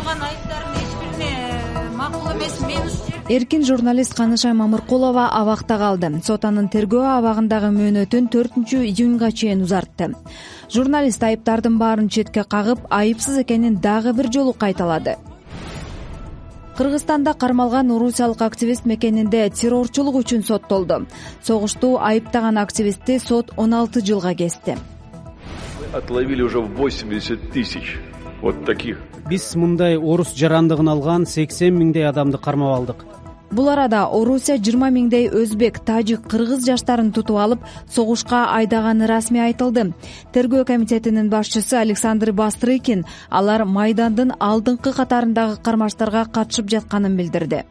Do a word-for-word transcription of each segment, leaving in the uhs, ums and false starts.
коюлган айыптардын эч бирине макул эмес. Мен ушул жерде Эркин журналист Канышай Мамыркулова абакта калды. Сот анын тергөө абагындагы мөөнөтүн төртүнчү июнга чейин узартты. Журналист айыптардын баарын четке кагып, айыпсыз экенин дагы бир жолу кайталады. Кыргызстанда кармалган орусиялык активист мекенинде террорчулук үчүн соттолду. Согушту айыптаган активистти сот он алты жылга кести. Отловили уже восемьдесят тысяч вот таких. Биз мындай орус жарандыгын алган сексен миңдей адамды кармап алдык. Бул арада Орусия жыйырма миңдей өзбек, тажик, кыргыз жаштарын тутуп алып, согушка айдаганы расмий айтылды. Тергөө комитетинин башчысы Александр Бастрыкин алар Майдандын алдыңкы катарындагы кармаштарга катышып жатканын билдирди.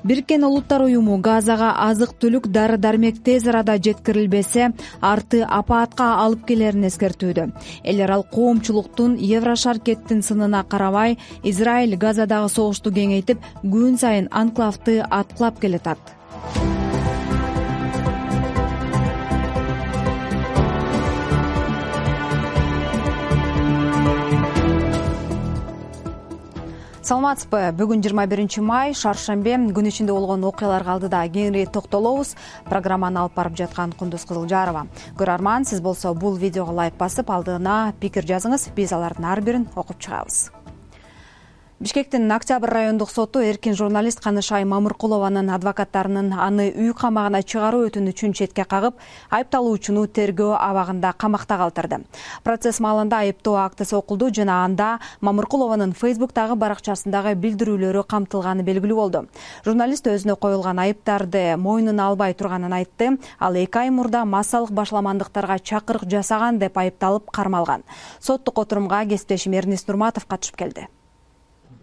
Бириккен Улуттар уюму Газага азык-түлүк дары-дармек тез арада жеткирилбесе, арты апаатка алып келерин эскертүүдө. Эл арал коомчулуктун Еврошаркеттин сынына карабай, Израиль Газадагы согушту кеңейтип, күн сайын анклавды аткылап келатат. Саламатсызбы? Бүгүн жыйырма биринчи май, шаршембе, күн ичинде болгон окуяларга алдыда кеңири токтолобуз. Программаны алып барып жаткан Кундуз Кызылжарова. Көрөрман, сиз болсо бул видеого лайк басып, алдына пикир жазыңыз. Биз алардын ар бирин окуп чыгабыз. Бишкектин Октябрь райондук соту эркин журналист Канышай Мамыркулованын адвокаттарынын аны үй камагына чыгаруу өтүнүчүн четке кагып, айыпталуучуну тергөө абагында камакта калтырды. Процесс маалында айыптоо актысы окулду жана анда Мамыркулованын Фейсбуктагы баракчасындагы билдирүүлөрү камтылганы белгилүү болду. Журналист өзүнө коюлган айыптарды мойнуна албай турганын айтты. Ал эки ай мурда массалык башламандыктарга чакырык жасаган деп айыпталып кармалган. Соттук отурумга кесиптешим Эрнис Нурматов катышып келди.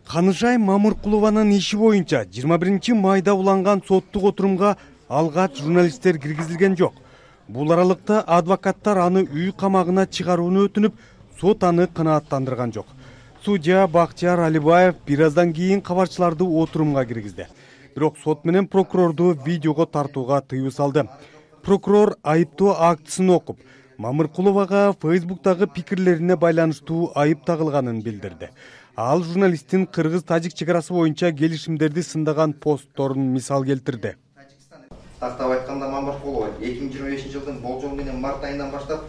Канышай Мамыркулованын иши боюнча жыйырма биринчи майда уланган соттук отурумга алгач журналисттер киргизилген жок. Бул аралыкта адвокаттар аны үй камагына чыгарууну өтүнүп, сот аны канааттандырган жок. Судья Бактияр Алибаев бир аздан кийин кабарчыларды отурумга киргизди. Бирок сот менен прокурорду видеого тартууга тыюу салды. Прокурор айыптоо актысын окуп, Мамыркуловага Фейсбуктагы пикирлерине байланыштуу айып тагылганын билдирди. Ал журналисттин кыргыз-тажик чек арасы боюнча келишимдерди сындаган постторун мисал келтирди. Тактап айтканда Мамыркулова эки миң жыйырма бешинчи жылдын болжол менен март айынан баштап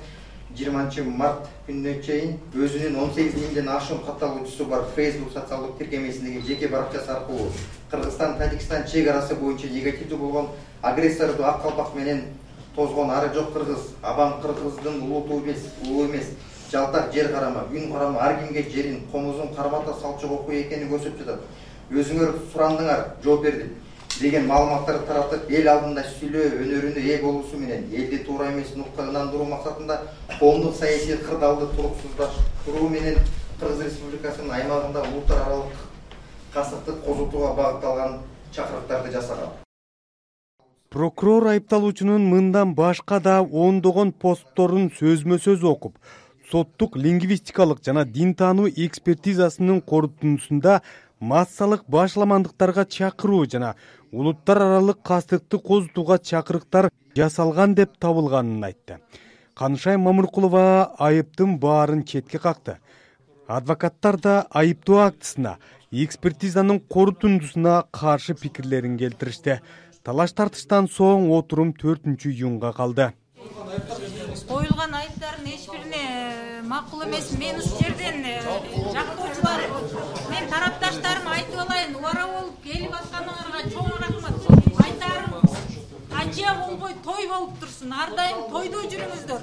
жыйырманчы март күнүнө чейин өзүнүн он сегиз миңден ашуун катталуучусу бар Facebook социалдык тиркемесиндеги жеке баракчасы аркылуу Кыргызстан-Тажикстан чек арасы боюнча негативдүү болгон агрессорду ак калпак менен тозгон ары жок кыргыз, абан кыргыздын улуу эмес, улуу эмес, жалтак жер карама, үн карама ар кимге жерин, комузун кармата салчу окуу экенин көрсөтүп жатат. Өзүңөр сурандыңар, жооп бердим деген маалыматтарды таратып, эл алдында сүйлөө өнөрүнө ээ болуусу менен элди туура эмес нукка ынандыруу максатында коомдук саясий кырдаалды туруксуздашыруу менен Кыргыз Республикасынын аймагында улуттар аралык кастыктык козутууга багытталган чакырыктарды жасаган. Прокурор айыпталуучунун мындан башка да ондогон постторун сөзмө-сөз окуп, соттук лингвистикалык жана дин таануу экспертизасынын корутундусунда массалык башламандыктарга чакыруу жана улуттар аралык кастыкты козутууга чакырыктар жасалган деп табылганын айтты. Канышай Мамыркулова айыптын баарын четке какты. Адвокаттар да айыптоо актысына, экспертизанын корутундусуна каршы пикирлерин келтиришти. Талаш тартыштан соң отурум төртүнчү июнга калды. коюлган айыптардын эч бирине макул эмес. Мен ушул жерден жактоочулар, мен тарапташтарыма айтып алайын, убара болуп келип атканыңарга чоң рахмат. Айтарым, ажия болбой той болуп турсун. Ар дайым тойдо жүрүңүздөр.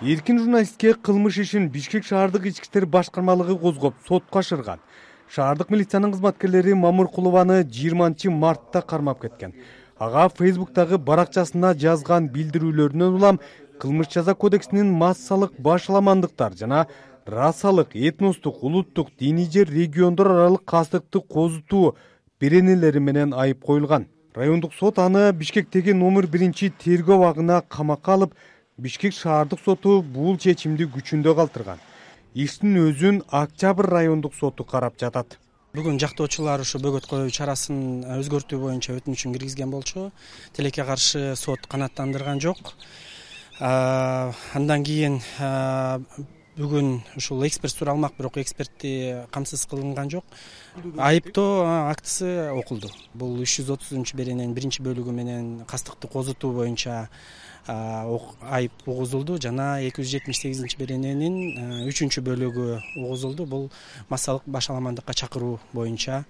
Эркин журналистке кылмыш ишин Бишкек шаардык ички иштер башкармалыгы козгоп сотко ашырган. Шаардык милициянын кызматкерлери Мамыркулованы жыйырманчы мартта кармап кеткен. Ага Фейсбуктагы баракчасына жазган билдирүүлөрүнөн улам кылмыш жаза кодексинин массалык башламандыктар жана расалык, этностук, улуттук, диний же региондор аралык кастыкты козутуу беренелери менен айып коюлган. Райондук сот аны Бишкектеги номер биринчи тергөө абагына камакка алып, Бишкек шаардык соту бул чечимди күчүндө калтырган. Иштин өзүн Октябрь райондук соту карап жатат. Бүгүн жактоочулар ушу бөгөт коюу чарасын өзгөртүү боюнча өтүнүчүн киргизген болчу. Тилекке каршы сот канааттандырган жок. Андан кийин бүгүн ушул эксперт суралмак, бирок экспертти камсыз кылынган жок. Айыптоо актысы окулду. Бул үч жүз отузунчу берененин биринчи бөлүгү менен кастыкты козутуу боюнча айып угузулду жана эки жүз жетимиш сегизинчи берененин үчүнчү бөлүгү угузулду. Бул массалык башаламандыкка чакыруу боюнча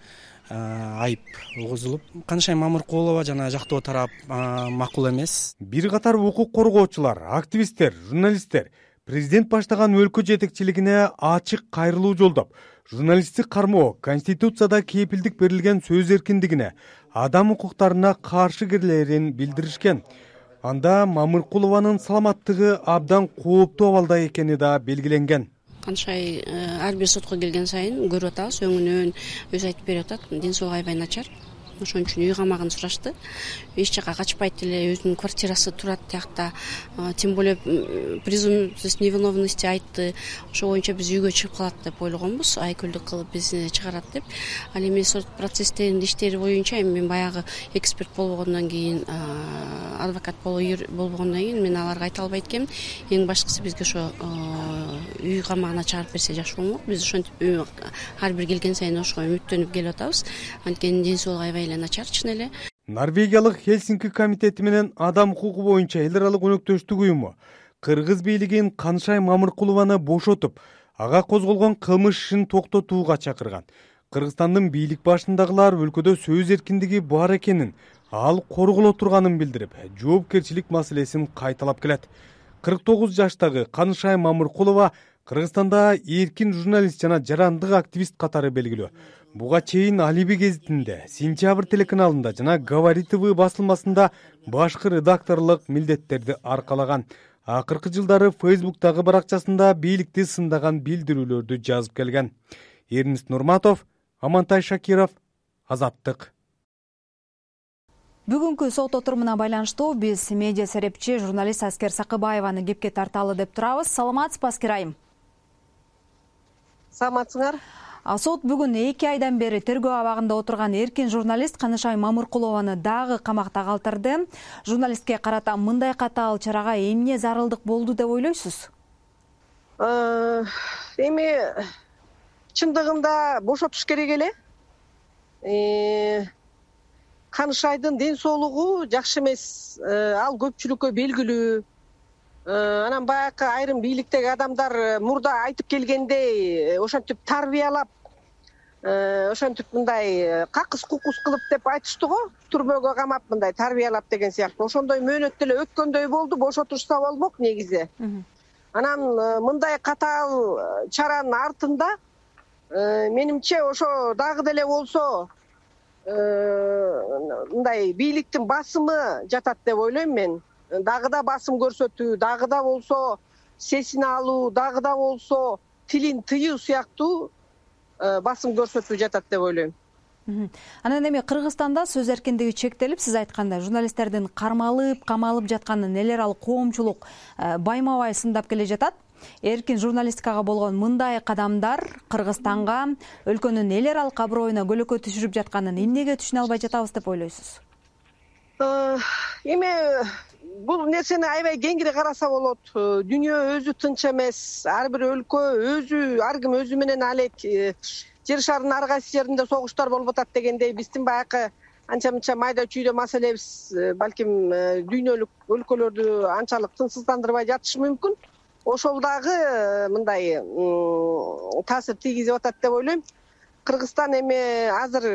айып угузулуп, Канышай Мамыркулова жана жактоо тарап макул эмес. Бир катар укук коргоочулар, активисттер, журналисттер президент баштаган өлкө жетекчилигине ачык кайрылуу жолдоп, журналисттик кармоо, Конституцияда кепилдик берилген сөз эркиндигине, адам укуктарына каршы келерин билдиришкен. Анда Мамыркулованын саламаттыгы абдан кооптуу абалда экени да белгиленген. Канышай ар бир сотко келген сайын көрүп атабыз, өңүнөн өзү айтып берип атат, ден соолугу аябай начар. Ошон үчүн үй камагын сурашты. Эч жака качпайт эле, өзүнүн квартирасы турат тиякта. Тем более презумпция невиновности айтты. Ошо боюнча биз үйгө чыгып калат деп ойлогонбуз, айкөлдүк кылып бизди чыгарат деп. Ал эми сот процесстеринин иштери боюнча эми мен баягы эксперт болбогондон кийин, адвокат болбогондон кийин мен аларга айта албайт экенмин. Эң башкысы бизге ошо үй камагына чыгарып берсе жакшы болмок. Биз ошентип ар бир келген сайын ошого үмүттөнүп келип атабыз. Анткени ден соолугу аябай начар чын эле. Норвегиялык Хельсинки комитети менен адам укугу боюнча эл аралык өнөктөштүк уюму кыргыз бийлигин Канышай Мамыркулованы бошотуп, ага козголгон кылмыш ишин токтотууга чакырган. Кыргызстандын бийлик башындагылар өлкөдө сөз эркиндиги бар экенин, ал корголо турганын билдирип, жоопкерчилик маселесин кайталап келет. кырк тогуз жаштагы Канышай Мамыркулова Кыргызстанда эркин журналист жана жарандык активист катары белгилүү. Буга чейин Алиби гезитинде, Сентябрь телеканалында жана Говори ТВ басылмасында башкы редакторлук милдеттерди аркалаган. Акыркы жылдары Фейсбуктагы баракчасында бийликти сындаган билдирүүлөрдү жазып келген. Эрнист Нурматов, Амантай Шакиров, Азаттык. Бүгүнкү сот отурумуна байланыштуу биз медиа серепчи журналист Аскер Сакыбаеваны кепке тарталы деп турабыз. Саламатсызбы, Аскер айым? Саламатсыңар? Сот бүгүн эки айдан бери тергөө абагында отурган эркин журналист Канышай Мамыркулованы дагы камакта калтырды. Журналистке карата мындай катаал чарага эмне зарылдык болду деп ойлойсуз? Эми чындыгында бошотуш керек эле. Канышайдын ден соолугу жакшы эмес, ал көпчүлүккө белгилүү. Анан баягы айрым бийликтеги адамдар мурда айтып келгендей, ошентип тарбиялап, ошентип мындай какыс кукус кылып деп айтышты го, түрмөгө камап мындай тарбиялап деген сыяктуу. Ошондой мөөнөт деле өткөндөй болду, бошотушса болмок негизи. Анан мындай катаал чаранын артында менимче ошо дагы деле болсо мындай бийликтин басымы жатат деп ойлойм мен. Дагы да басым көрсөтүү, дагы да болсо сесин алуу, дагы да болсо тилин тыюу сыяктуу басым көрсөтүү жатат деп ойлойм. Анан эми Кыргызстанда сөз эркиндиги чектелип, сиз айткандай, журналисттердин кармалып, камалып жатканын эл аралык коомчулук байма-бай сындап келе жатат. Эркин журналистикага болгон мындай кадамдар Кыргызстанга, өлкөнүн эл аралык аброюна көлөкө түшүрүп жатканын эмнеге түшүнө албай жатабыз деп ойлойсуз? Эми бул нерсени аябай кеңири караса болот. Дүйнө өзү тынч эмес. Ар бир өлкө өзү, ар ким өзү менен алек. Жер шарынын ар кайсы жеринде согуштар болуп атат дегендей, биздин баягы анча-мынча майда чүйдө маселебиз балким дүйнөлүк өлкөлөрдү анчалык тынчсыздандырбай жатышы мүмкүн. Ошол дагы мындай таасир тийгизип атат деп ойлойм. Кыргызстан эми азыр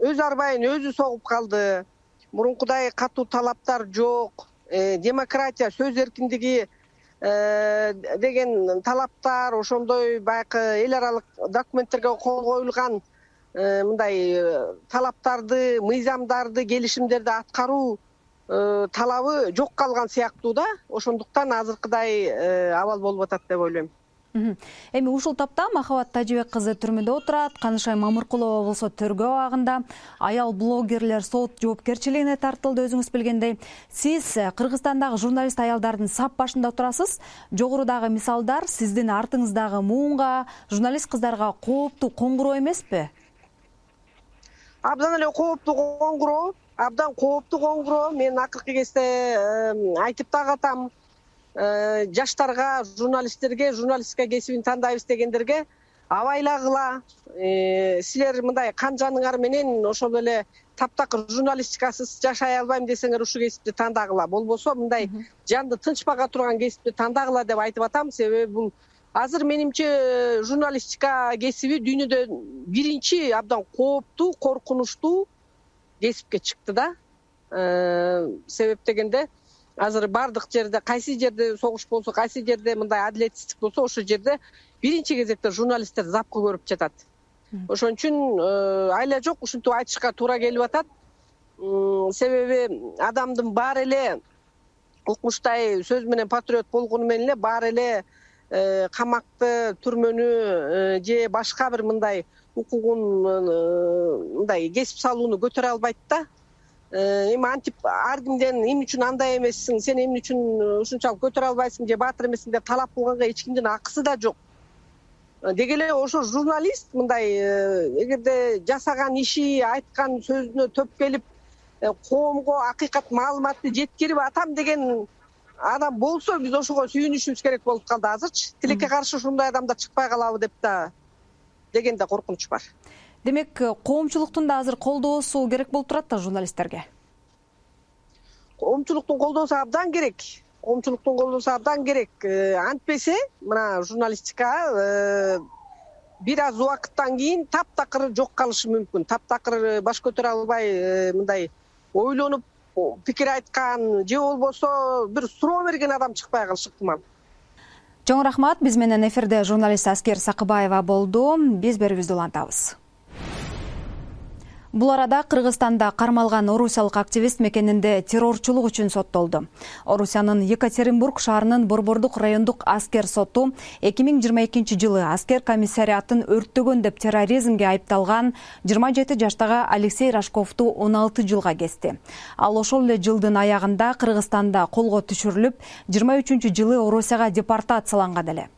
өз арбайын өзү согуп калды. Мурункудай катуу талаптар жок. Демократия, сөз эркиндиги деген талаптар, ошондой баягы эл аралык документтерге кол коюлган мындай талаптарды, мыйзамдарды, келишимдерди аткаруу талабы жок калган сыяктуу да. Ошондуктан азыркыдай абал болуп атат деп ойлойм. Эми ушул тапта Махабат Тажибек кызы түрмөдө отурат, Канышай Мамыркулова болсо тергөө абагында, аял блогерлер сот жоопкерчилигине тартылды, өзүңүз билгендей. Сиз Кыргызстандагы журналист аялдардын сап башында турасыз. Жогорудагы мисалдар сиздин артыңыздагы муунга, журналист кыздарга кооптуу, коңгуроо эмеспи? абдан эле кооптуу коңгуроо, абдан кооптуу коңгуроо. Мен акыркы кезде айтып дагы атам, жаштарга, журналисттерге, журналистика кесибин тандайбыз дегендерге абайлагыла. Силер мындай кан жаныңар менен ошол эле таптакыр журналистикасыз жашай албайм десеңер ушул кесипти тандагыла. Болбосо мындай жанды тынчпага турган кесипти тандагыла деп айтып атам. Себеби бул азыр менимче журналистика кесиби дүйнөдө биринчи абдан кооптуу, коркунучтуу кесипке чыкты да. Себеп дегенде азыр бардык жерде, кайсы жерде согуш болсо, кайсы жерде мындай адилетсиздик болсо, ошол жерде биринчи кезекте журналисттер запкы көрүп жатат. Ошон үчүн айла жок ушинтип айтышка туура келип атат. Себеби адамдын баары эле укмуштай сөз менен патриот болгону менен эле баары эле камакты, түрмөнү же башка бир мындай укугун мындай кесип салууну көтөрө албайт да. Эми антип ар кимден эмне үчүн андай эмессиң, сен эмне үчүн ушунчалык көтөрө албайсың же баатыр эмессиң деп талап кылганга эч кимдин акысы да жок. Деги эле ошо журналист мындай эгерде жасаган иши, айткан сөзүнө төп келип, коомго акыйкат маалыматты жеткирип атам деген адам болсо, биз ошого сүйүнүшүбүз керек болуп калды азырчы. Тилекке каршы ушундай адамдар чыкпай калабы деп да дегенде коркунуч бар. Демек, коомчулуктун да азыр колдоосу керек болуп турат да журналисттерге. Коомчулуктун колдоосу абдан керек. Коомчулуктун колдоосу абдан керек. Антпесе, мына журналистика бир аз убакыттан кийин таптакыр жок калышы мүмкүн. Таптакыр баш көтөрө албай мындай ойлонуп пикир айткан же болбосо бир суроо берген адам чыкпай калышы ыктымал. Чоң рахмат. Биз менен эфирде журналист Аскер Сакыбаева болду. Биз берүүбүздү улантабыз. Бул арада Кыргызстанда кармалган орусиялык активист мекенинде террорчулук үчүн соттолду. Орусиянын Екатеринбург шаарынын Борбордук райондук аскер соту эки миң жыйырма экинчи жылы аскер комиссариатын өрттөгөн деп терроризмге айыпталган жыйырма жети жаштагы Алексей Рашковду он алты жылга кести. Ал ошол эле жылдын аягында Кыргызстанда колго түшүрүлүп, жыйырма үчүнчү жылы Орусияга депортацияланган эле.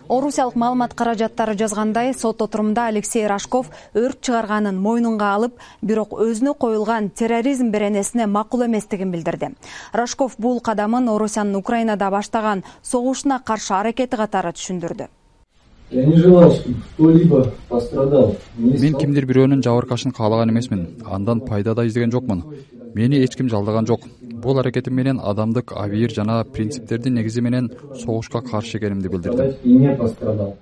Орусиялык маалымат каражаттары жазгандай, сот отурумда Алексей Рашков өрт чыгарганын мойнунга алып, бирок өзүнө коюлган терроризм беренесине макул эместигин билдирди. Рашков бул кадамын Орусиянын Украинада баштаган согушуна каршы аракети катары түшүндүрдү. Я не желал, чтобы кто-либо пострадал. Мен кимдир бирөөнүн жабыркашын каалаган эмесмин. Андан пайда да издеген жокмун. Мени эч ким жалдаган жок. Бул аракетим менен адамдык, абийир жана принциптердин негизи менен согушка каршы экенимди билдирдим.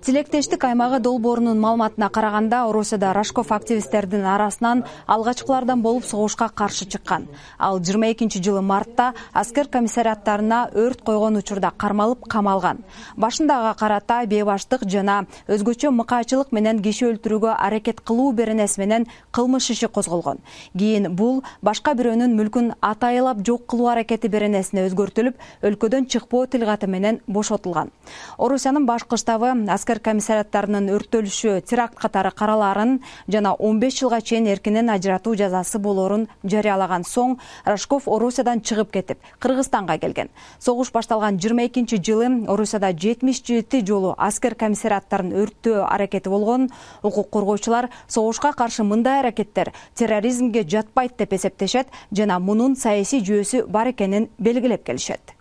Тилектештик аймагы долбоорунун маалыматына караганда, Орусияда Рашков активисттердин арасынан алгачкылардан болуп согушка каршы чыккан. Ал жыйырма экинчи жылы мартта аскер комиссариаттарына өрт койгон учурда кармалып камалган. Башындага карата бейбаштык жана өзгөчө мыкаачылык менен киши өлтүрүүгө аракет кылуу беренеси менен кылмыш иши козголгон. Кийин бул башка бирөөнүн мүлкүн атайылап жок кылуу аракети беренесине өзгөртүлүп, өлкөдөн чыкпоо тилгаты менен бошотулган. Орусиянын башкы штабы аскер комиссариаттарынын өрттөлүшү теракт катары каралаарын жана он беш жылга чейин эркинен ажыратуу жазасы болоорун жарыялаган соң, Рашков Орусиядан чыгып кетип, Кыргызстанга келген. Согуш башталган жыйырма экинчи жылы Орусияда жетимиш жети жолу аскер комиссариаттарын өрттөө аракети болгон. Укук коргоочулар согушка каршы мындай аракеттер терроризмге жатпайт деп эсептешет жана мунун саясий жүйөсү бар экенин белгилеп келишет.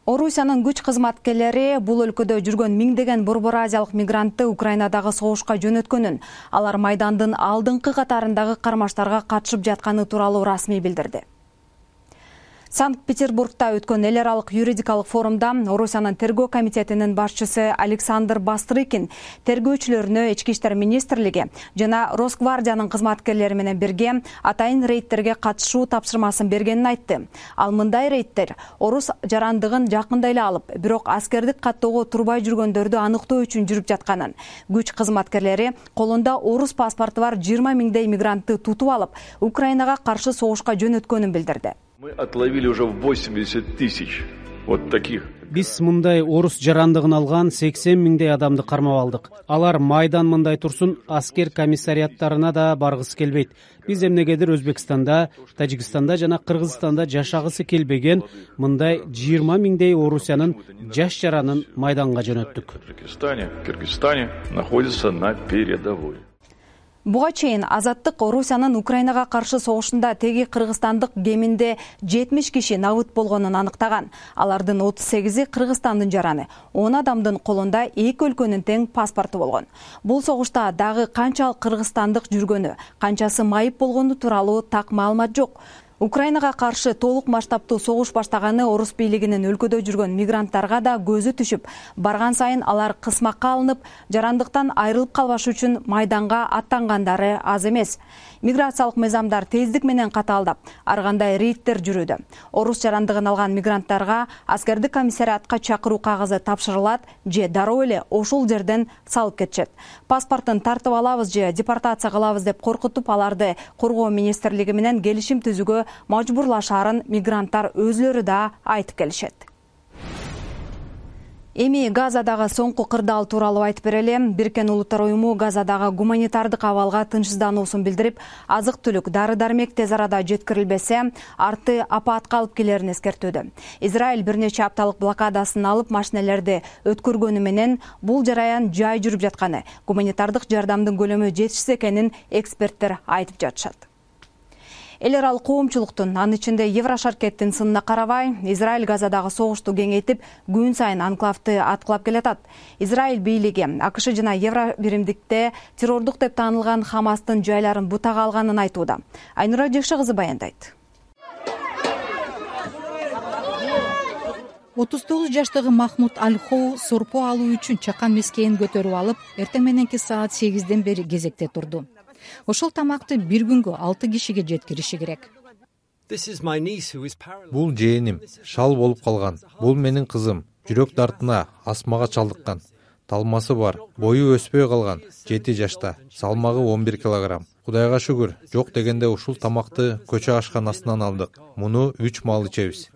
Орусиянын күч кызматкерлери бул өлкөдө жүргөн миңдеген Борбор Азиялык мигрантты Украинадагы согушка жөнөткөнүн, алар Майдандын алдыңкы катарындагы кармаштарга катышып жатканы тууралуу расмий билдирди. Санкт-Петербургда өткөн эл аралык юридикалык форумда Орусиянын тергөө комитетинин башчысы Александр Бастрыкин тергөөчүлөрүнө Ички иштер министрлиги жана Росгвардиянын кызматкерлери менен бирге атайын рейдтерге катышуу тапшырмасын бергенин айтты. Ал мындай рейдтер орус жарандыгын жакында эле алып, бирок аскердик каттоого турбай жүргөндөрдү аныктоо үчүн жүрүп жатканын, күч кызматкерлери колунда орус паспорту бар жыйырма миңдей мигрантты тутуп алып, Украинага каршы согушка жөнөткөнүн билдирди. Мы отловили уже восемьдесят тысяч вот таких. Биз мындай орус жарандыгын алган сексен миңдей адамды кармап алдык. Алар Майдан мындай турсун, аскер комиссариаттарына да баргысы келбейт. Биз эмнегедир Өзбекстанда, Тажикстанда жана Кыргызстанда жашагысы келбеген мындай жыйырма миңдей Орусиянын жаш жаранын Майданга жөнөттүк. В Таджикистане, Кыргызстане находится на передовой. Буга чейин Азаттык Орусиянын Украинага каршы согушунда теги кыргызстандык кеминде жетимиш киши набыт болгонун аныктаган. Алардын отуз сегизи Кыргызстандын жараны, он адамдын колунда эки өлкөнүн тең паспорту болгон. Бул согушта дагы канчалык кыргызстандык жүргөнү, канчасы майып болгону тууралуу так маалымат жок. Украинага каршы толук масштабтуу согуш баштаганы орус бийлигинин өлкөдө жүргөн мигранттарга да көзү түшүп, барган сайын алар кысмакка алынып, жарандыктан айрылып калбаш үчүн майданга аттангандары аз эмес. Миграциялык мыйзамдар тездик менен катаалдап, ар кандай рейдтер жүрүүдө. Орус жарандыгын алган мигранттарга аскердик комиссариатка чакыруу кагызы тапшырылат же дароо эле ошол жерден салып кетишет. Паспортун тартып алабыз же депортация кылабыз деп коркутуп, аларды коргоо министрлиги менен келишим түзүүгө мажбурлашаарын мигранттар өзлөрү да айтып келишет. Эми Газадагы соңку кырдаал тууралуу айтып берели. Бириккен Улуттар уюму Газадагы гуманитардык абалга тынчсыздануусун билдирип, азык-түлүк, дары-дармек тез арада жеткирилбесе, арты апаатка алып келерин эскертүүдө. Израиль бир нече апталык блокадасын алып, машинелерди өткөргөнү менен бул жараян жай жүрүп жатканы, гуманитардык жардамдын көлөмү жетишсиз экенин эксперттер айтып жатышат. Эл аралык коомчулуктун, анын ичинде Еврошаркеттин сынына карабай, Израиль Газадагы согушту кеңейтип, күн сайын анклавды аткылап келатат. Израиль бийлиги АКШ жана Евробиримдикте террордук деп таанылган Хамастын жайларын бутага алганын айтууда. Айнура Жекше кызы баяндайт. отуз тогуз жаштагы Махмуд Аль-Хоу сорпо алуу үчүн чакан мескейин көтөрүп алып, эртең мененки саат сегизден бери кезекте турду. Ошол тамакты бир күнгө алты кишиге жеткириши керек. Бул жээним шал болуп калган. Бул менин кызым. Жүрөк дартына, астмага чалдыккан. Талмасы бар, бою өспөй калган, жети жашта, салмагы он бир килограмм. Кудайга шүгүр, жок дегенде ушул тамакты көчө ашканасынан алдык. Муну үч маал ичебиз.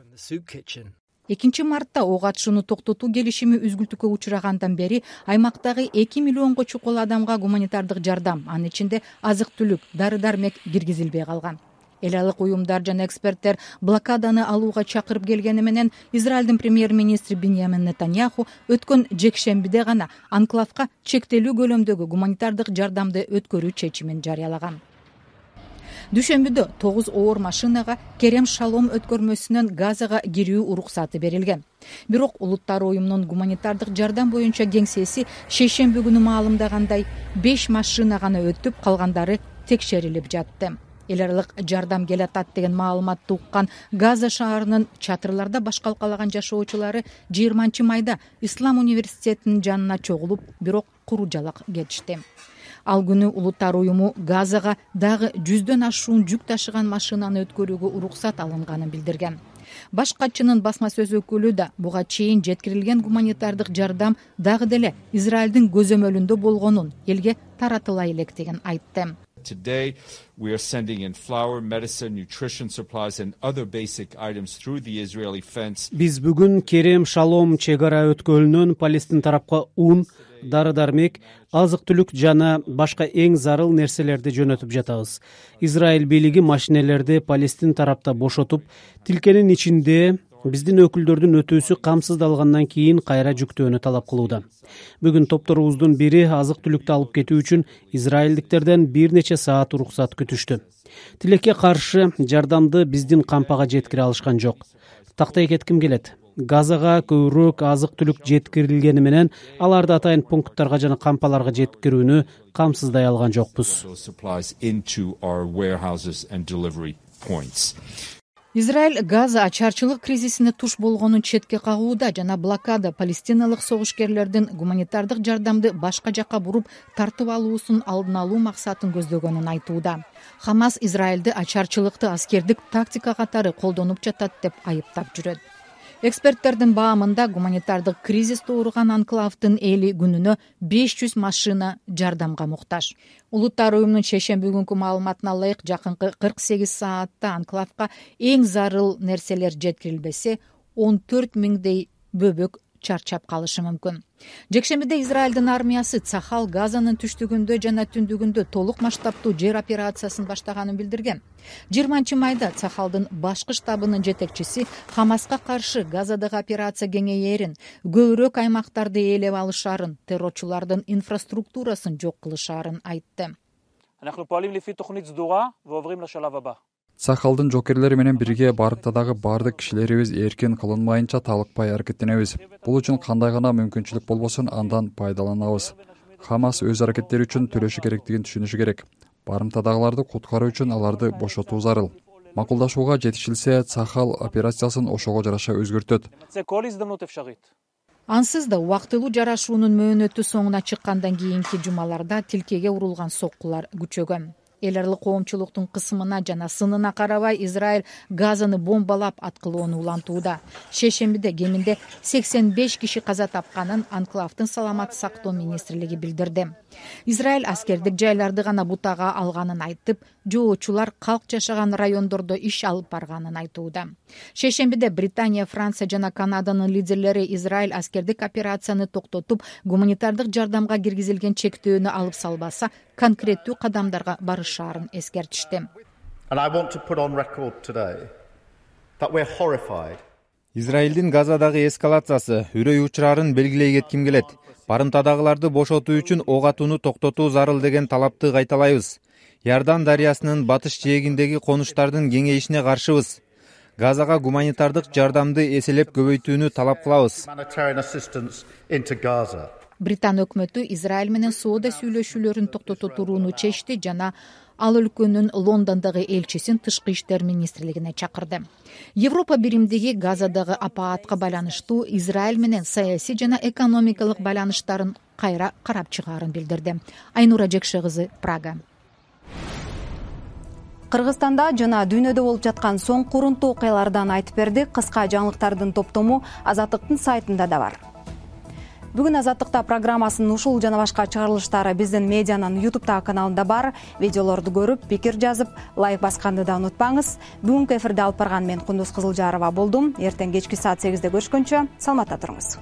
экинчи мартта ок атышууну токтотуу келишими үзгүлтүккө учурагандан бери аймактагы эки миллионго чукул адамга гуманитардык жардам, анын ичинде азык-түлүк, дары-дармек киргизилбей калган. Эл аралык уюмдар жана эксперттер блокаданы алууга чакырып келгени менен Израилдин премьер-министри Биньямин Нетаньяху өткөн жекшембиде гана анклавга чектелүү көлөмдөгү гуманитардык жардамды өткөрүү чечимин жарыялаган. Дүйшөмбүдө тогуз оор машинага Керем Шалом өткөрмөсүнөн Газага кирүү уруксаты берилген. Бирок Улуттар уюмунун гуманитардык жардам боюнча кеңсеси шейшемби күнү маалымдагандай, беш машина гана өтүп, калгандары текшерилип жатты. Эл аралык жардам келатат деген маалыматты уккан Газа шаарынын чатырларда баш калкалаган жашоочулары жыйырманчы майда Ислам университетинин жанына чогулуп, бирок куру жалак кетишти. Ал күнү Улуттар уюму Газага дагы жүздөн ашуун жүк ташыган машинаны өткөрүүгө уруксат алынганын билдирген. Баш катчынын басма сөз өкүлү да буга чейин жеткирилген гуманитардык жардам дагы деле Израилдин көзөмөлүндө болгонун, элге таратыла электигин айтты. Today, we are sending in flour, medicine, nutrition supplies and other basic items through the Israeli fence. Биз бүгүн Керем Шалом чек ара өткөлүнөн Палестин тарапка ун, дары-дармек, азык-түлүк жана башка эң зарыл нерселерди жөнөтүп жатабыз. Израиль бийлиги машинелерди Палестин тарапта бошотуп, тилкенин ичинде биздин өкүлдөрдүн өтүүсү камсыздалгандан кийин кайра жүктөөнү талап кылууда. Бүгүн топторубуздун бири азык-түлүктү алып кетүү үчүн израилдиктерден бир нече саат уруксат күтүштү. Тилекке каршы жардамды биздин кампага жеткире алышкан жок. Тактай кетким келет. Газага көбүрөөк азык-түлүк жеткирилгени менен аларды атайын пункттарга жана кампаларга жеткирүүнү камсыздай алган жокпуз. Израиль Газа ачарчылык кризисине туш болгонун четке кагууда жана блокада палестиналык согушкерлердин гуманитардык жардамды башка жакка буруп тартып алуусун алдын алуу максатын көздөгөнүн айтууда. Хамас Израилди ачарчылыкты аскердик тактика катары колдонуп жатат деп айыптап жүрөт. Эксперттердин баамында гуманитардык кризис тууруган анклавдын эли күнүнө беш жүз машина жардамга муктаж. Улуттар уюмунун шейшемби күнкү маалыматына ылайык жакынкы кырк сегиз саатта анклавга эң зарыл нерселер жеткирилбесе, он төрт миңдей бөбөк чарчап калышы мүмкүн. Жекшембиде Израилдин армиясы Цахал Газанын түштүгүндө жана түндүгүндө толук масштабтуу жер операциясын баштаганын билдирген. жыйырманчы майда Цахалдын башкы штабынын жетекчиси Хамаска каршы Газадагы операция кеңейерин, көбүрөөк аймактарды ээлеп алышаарын, террорчулардын инфраструктурасын жок кылышаарын айтты. Сахалдын жокерлери менен бирге барымтадагы баардык кишилерибиз эркин кылынмайынча талыкпай аракеттенебиз. Бул үчүн кандай гана мүмкүнчүлүк болбосун андан пайдаланабыз. Хамас өз аракеттери үчүн төлөшү керектигин түшүнүшү керек. Барымтадагыларды куткаруу үчүн аларды бошотуу зарыл. Макулдашууга жетишилсе, Сахал операциясын ошого жараша өзгөртөт. Ансыз да убактылуу жарашуунун мөөнөтү соңуна чыккандан кийинки жумаларда тилкеге урулган соккулар күчөгөн. Эл аралык коомчулуктун кысымына жана сынына карабай Израиль Газаны бомбалап аткылоону улантууда. Шейшембиде кеминде сексен беш киши каза тапканын анклавдын саламат сактоо министрлиги билдирди. Израиль аскердик жайларды гана бутага алганын айтып, жоочулар калк жашаган райондордо иш алып барганын айтууда. Шейшембиде Британия, Франция жана Канаданын лидерлери Израиль аскердик операцияны токтотуп, гуманитардык жардамга киргизилген чектөөнү алып салбаса, конкреттүү кадамдарга барышаарын эскертишти. Израилдин Газадагы эскалациясы үрөй учурарын белгилей кетким келет. Барымтадагыларды бошотуу үчүн ок атууну токтотуу зарыл деген талапты кайталайбыз. Иордан дарыясынын батыш жээгиндеги конуштардын кеңейишине каршыбыз. Газага гуманитардык жардамды эселеп көбөйтүүнү талап кылабыз. Британ өкмөтү Израиль менен соода сүйлөшүүлөрүн токтото турууну чечти жана ал өлкөнүн Лондондогу элчисин тышкы иштер министрлигине чакырды. Европа биримдиги Газадагы апаатка байланыштуу Израиль менен саясий жана экономикалык байланыштарын кайра карап чыгаарын билдирди. Айнура Жекше кызы, Прага. Кыргызстанда жана дүйнөдө болуп жаткан соң курунтуу окуялардан айтып бердик. Кыска жаңылыктардын топтому Азаттыктын сайтында да бар. Бүгүн Азаттыкта программасынын ушул жана башка чыгарылыштары биздин медианын YouTube каналында бар. Видеолорду көрүп, пикир жазып, лайк басканды да унутпаңыз. Бүгүнкү эфирде алып барган мен Кундуз Кызылжарова болдум. Эртең кечки саат сегизде көрүшкөнчө саламатта туруңуз.